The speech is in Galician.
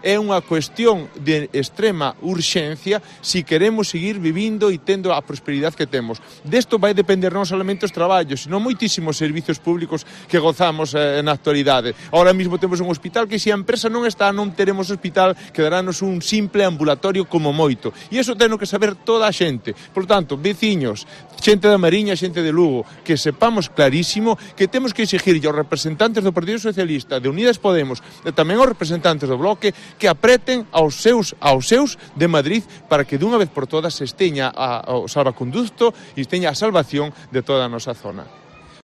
é unha cuestión de extrema urxencia se queremos seguir vivindo e tendo a prosperidade que temos. Desto vai depender non solamente os traballos, sino moitísimos servizos públicos que gozamos na actualidade. Ahora mesmo temos un hospital que se a empresa non está, non teremos hospital, quedarános un simple ambulatorio como moito. E iso teno que saber toda a xente. Por tanto, veciños, xente da Mariña, xente de Lugo, que sepamos clarísimo que temos que exigir aos representantes do Partido Socialista, de Unidas Podemos, e tamén aos representantes do Bloque, que apreten aos seus de Madrid para que dunha vez por todas se esteña o salvaconducto e esteña a salvación de toda a nosa zona.